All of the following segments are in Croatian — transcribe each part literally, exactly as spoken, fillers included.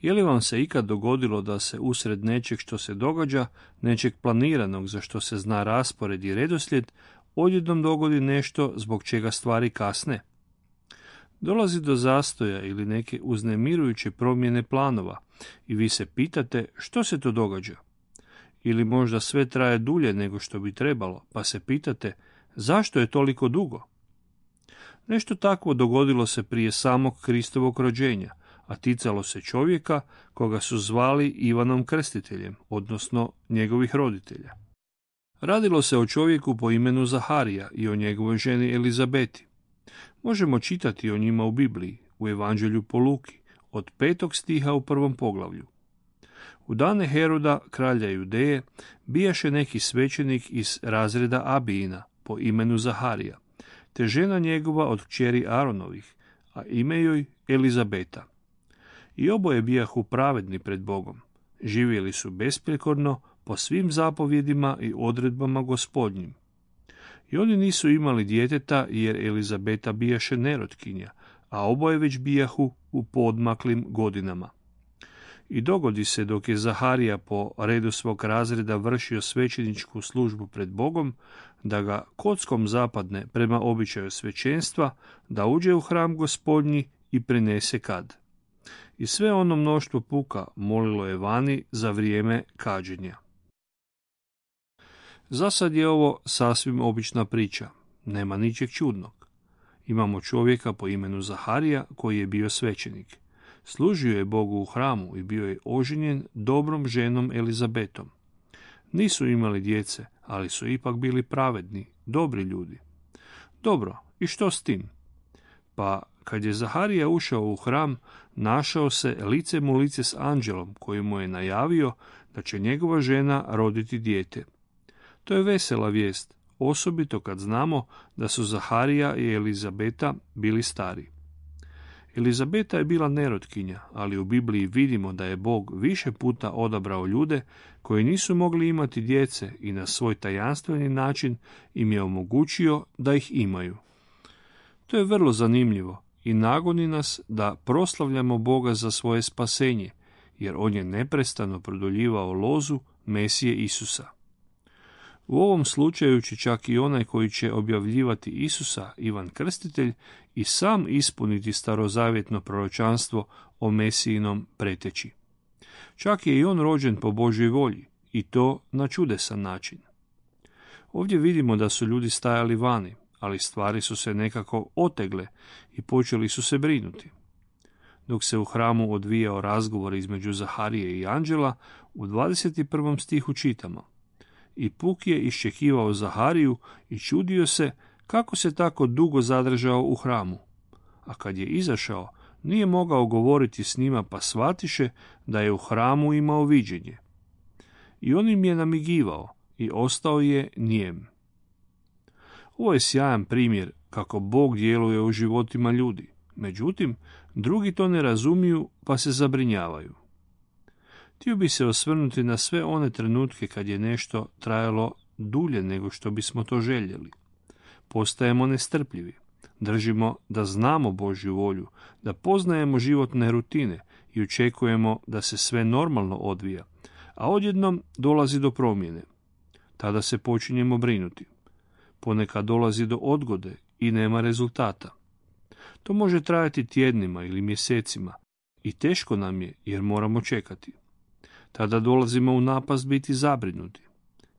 Je li vam se ikad dogodilo da se usred nečeg što se događa, nečeg planiranog za što se zna raspored i redoslijed, odjednom dogodi nešto zbog čega stvari kasne? Dolazi do zastoja ili neke uznemirujuće promjene planova i vi se pitate što se to događa. Ili možda sve traje dulje nego što bi trebalo, pa se pitate zašto je toliko dugo? Nešto takvo dogodilo se prije samog Kristovog rođenja, a ticalo se čovjeka koga su zvali Ivanom Krstiteljem, odnosno njegovih roditelja. Radilo se o čovjeku po imenu Zaharija i o njegovoj ženi Elizabeti. Možemo čitati o njima u Bibliji, u Evanđelju po Luki, od petog stiha u prvom poglavlju. U dane Heroda, kralja Judeje, bijaše neki svećenik iz razreda Abijina po imenu Zaharija, te žena njegova od kćeri Aronovih, a ime joj Elizabeta. I oboje bijahu pravedni pred Bogom. Živjeli su besprijekorno po svim zapovjedima i odredbama Gospodnjim. I oni nisu imali djeteta jer Elizabeta bijaše nerotkinja, a oboje već bijahu u poodmaklim godinama. I dogodi se dok je Zaharija po redu svog razreda vršio svećeničku službu pred Bogom, da ga kockom zapadne prema običaju svećenstva, da uđe u hram Gospodnji i prinese kad. I sve ono mnoštvo puka molilo je vani za vrijeme kađenja. Za sad je ovo sasvim obična priča, nema ničeg čudnog. Imamo čovjeka po imenu Zaharija koji je bio svećenik. Služio je Bogu u hramu i bio je oženjen dobrom ženom Elizabetom. Nisu imali djece, ali su ipak bili pravedni, dobri ljudi. Dobro, i što s tim? Pa, kad je Zaharija ušao u hram, našao se lice mu lice s anđelom koji mu je najavio da će njegova žena roditi dijete. To je vesela vijest, osobito kad znamo da su Zaharija i Elizabeta bili stari. Elizabeta je bila nerotkinja, ali u Bibliji vidimo da je Bog više puta odabrao ljude koji nisu mogli imati djece i na svoj tajanstveni način im je omogućio da ih imaju. To je vrlo zanimljivo i nagoni nas da proslavljamo Boga za svoje spasenje, jer on je neprestano produljivao lozu Mesije Isusa. U ovom slučaju će čak i onaj koji će objavljivati Isusa, Ivan Krstitelj, i sam ispuniti starozavjetno proročanstvo o Mesijinom preteći. Čak je i on rođen po Božjoj volji, i to na čudesan način. Ovdje vidimo da su ljudi stajali vani, ali stvari su se nekako otegle i počeli su se brinuti. Dok se u hramu odvijao razgovor između Zaharije i anđela, u dvadeset prvom stihu čitamo: I puk je iščekivao Zahariju i čudio se kako se tako dugo zadržao u hramu. A kad je izašao, nije mogao govoriti s njima, pa shvatiše da je u hramu imao viđenje. I on im je namigivao i ostao je nijem. Ovo je sjajan primjer kako Bog djeluje u životima ljudi. Međutim, drugi to ne razumiju pa se zabrinjavaju. Htio bi se osvrnuti na sve one trenutke kad je nešto trajalo dulje nego što bismo to željeli. Postajemo nestrpljivi. Držimo da znamo Božju volju, da poznajemo životne rutine i očekujemo da se sve normalno odvija, a odjednom dolazi do promjene. Tada se počinjemo brinuti. Ponekad dolazi do odgode i nema rezultata. To može trajati tjednima ili mjesecima i teško nam je jer moramo čekati. Tada dolazimo u napast biti zabrinuti.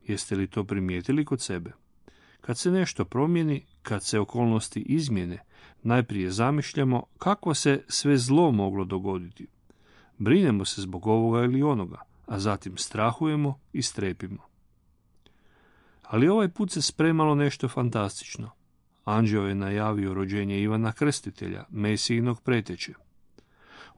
Jeste li to primijetili kod sebe? Kad se nešto promijeni, kad se okolnosti izmjene, najprije zamišljamo kako se sve zlo moglo dogoditi. Brinemo se zbog ovoga ili onoga, a zatim strahujemo i strepimo. Ali ovaj put se spremalo nešto fantastično. Anđeo je najavio rođenje Ivana Krstitelja, Mesijinog preteće.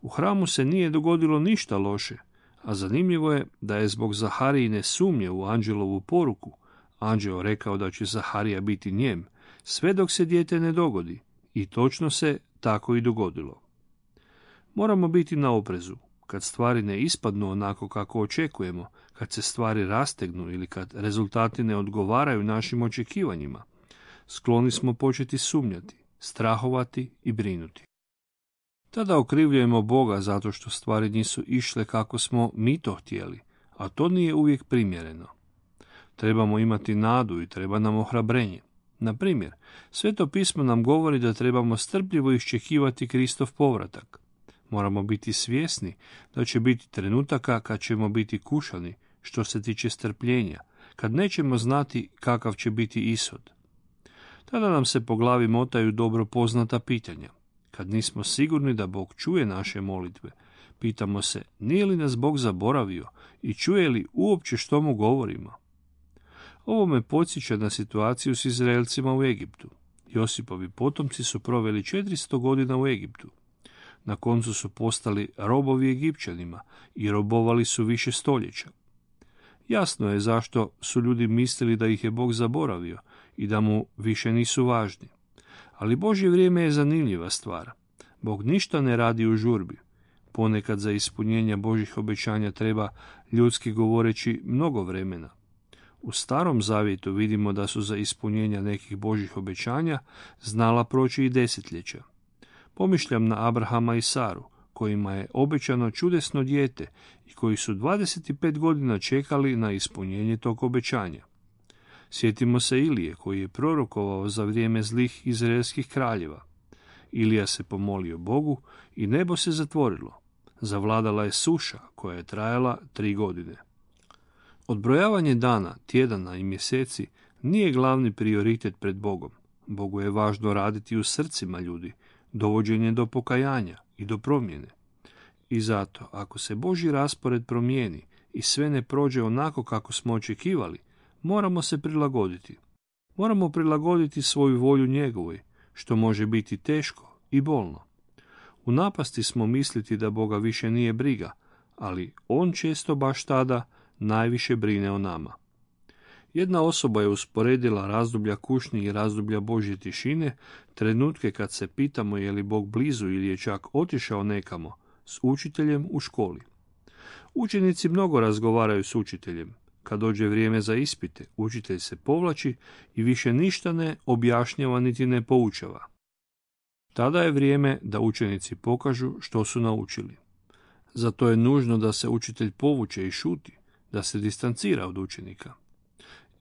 U hramu se nije dogodilo ništa loše, a zanimljivo je da je zbog Zaharijine sumnje u anđelovu poruku anđeo rekao da će Zaharija biti njem, sve dok se dijete ne dogodi, i točno se tako i dogodilo. Moramo biti na oprezu. Kad stvari ne ispadnu onako kako očekujemo, kad se stvari rastegnu ili kad rezultati ne odgovaraju našim očekivanjima, skloni smo početi sumnjati, strahovati i brinuti. Tada okrivljujemo Boga zato što stvari nisu išle kako smo mi to htjeli, a to nije uvijek primjereno. Trebamo imati nadu i treba nam ohrabrenje. Na primjer, Sveto pismo nam govori da trebamo strpljivo iščekivati Kristov povratak. Moramo biti svjesni da će biti trenutaka kad ćemo biti kušani što se tiče strpljenja, kad nećemo znati kakav će biti ishod. Tada nam se po glavi motaju dobro poznata pitanja. Kad nismo sigurni da Bog čuje naše molitve, pitamo se nije li nas Bog zaboravio i čuje li uopće što mu govorimo. Ovo me podsjeća na situaciju s Izraelcima u Egiptu. Josipovi potomci su proveli četiristo godina u Egiptu. Na koncu su postali robovi Egipćanima i robovali su više stoljeća. Jasno je zašto su ljudi mislili da ih je Bog zaboravio i da mu više nisu važni. Ali Božje vrijeme je zanimljiva stvar. Bog ništa ne radi u žurbi. Ponekad za ispunjenje Božjih obećanja treba, ljudski govoreći, mnogo vremena. U Starom zavjetu vidimo da su za ispunjenje nekih Božjih obećanja znala proći i desetljeća. Pomišljam na Abrahama i Saru, kojima je obećano čudesno dijete i koji su dvadeset pet godina čekali na ispunjenje tog obećanja. Sjetimo se Ilije, koji je prorokovao za vrijeme zlih izraelskih kraljeva. Ilija se pomolio Bogu i nebo se zatvorilo. Zavladala je suša koja je trajala tri godine. Odbrojavanje dana, tjedana i mjeseci nije glavni prioritet pred Bogom. Bogu je važno raditi u srcima ljudi, dovođenje do pokajanja i do promjene. I zato, ako se Božji raspored promijeni i sve ne prođe onako kako smo očekivali, moramo se prilagoditi. Moramo prilagoditi svoju volju njegovoj, što može biti teško i bolno. U napasti smo misliti da Boga više nije briga, ali on često baš tada najviše brine o nama. Jedna osoba je usporedila razdoblja kušnje i razdoblja Božje tišine, trenutke kad se pitamo je li Bog blizu ili je čak otišao nekamo, s učiteljem u školi. Učenici mnogo razgovaraju s učiteljem. Kad dođe vrijeme za ispite, učitelj se povlači i više ništa ne objašnjava niti ne poučava. Tada je vrijeme da učenici pokažu što su naučili. Zato je nužno da se učitelj povuče i šuti, da se distancira od učenika.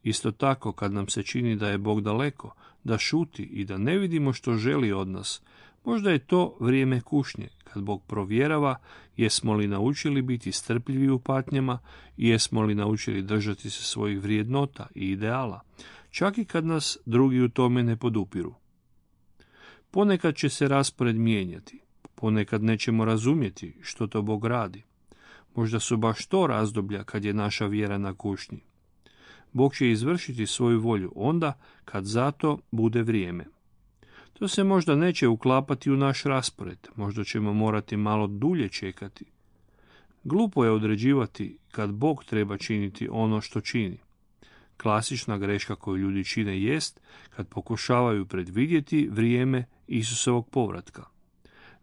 Isto tako, kad nam se čini da je Bog daleko, da šuti i da ne vidimo što želi od nas, možda je to vrijeme kušnje, kad Bog provjerava jesmo li naučili biti strpljivi u patnjama i jesmo li naučili držati se svojih vrijednota i ideala, čak i kad nas drugi u tome ne podupiru. Ponekad će se raspored mijenjati, ponekad nećemo razumjeti što to Bog radi. Možda su baš to razdoblja kad je naša vjera na kušnji. Bog će izvršiti svoju volju onda kad za to bude vrijeme. To se možda neće uklapati u naš raspored, možda ćemo morati malo dulje čekati. Glupo je određivati kad Bog treba činiti ono što čini. Klasična greška koju ljudi čine jest kad pokušavaju predvidjeti vrijeme Isusovog povratka.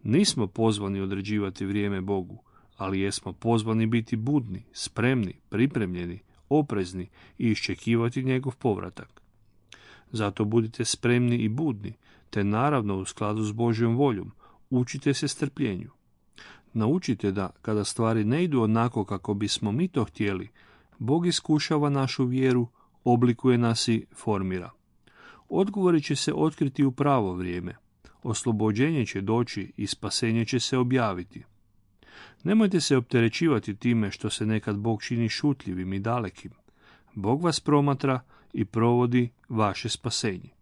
Nismo pozvani određivati vrijeme Bogu, ali jesmo pozvani biti budni, spremni, pripremljeni, oprezni i iščekivati njegov povratak. Zato budite spremni i budni, te naravno u skladu s Božjom voljom, učite se strpljenju. Naučite da, kada stvari ne idu onako kako bismo mi to htjeli, Bog iskušava našu vjeru, oblikuje nas i formira. Odgovori će se otkriti u pravo vrijeme. Oslobođenje će doći i spasenje će se objaviti. Nemojte se opterećivati time što se nekad Bog čini šutljivim i dalekim. Bog vas promatra i provodi vaše spasenje.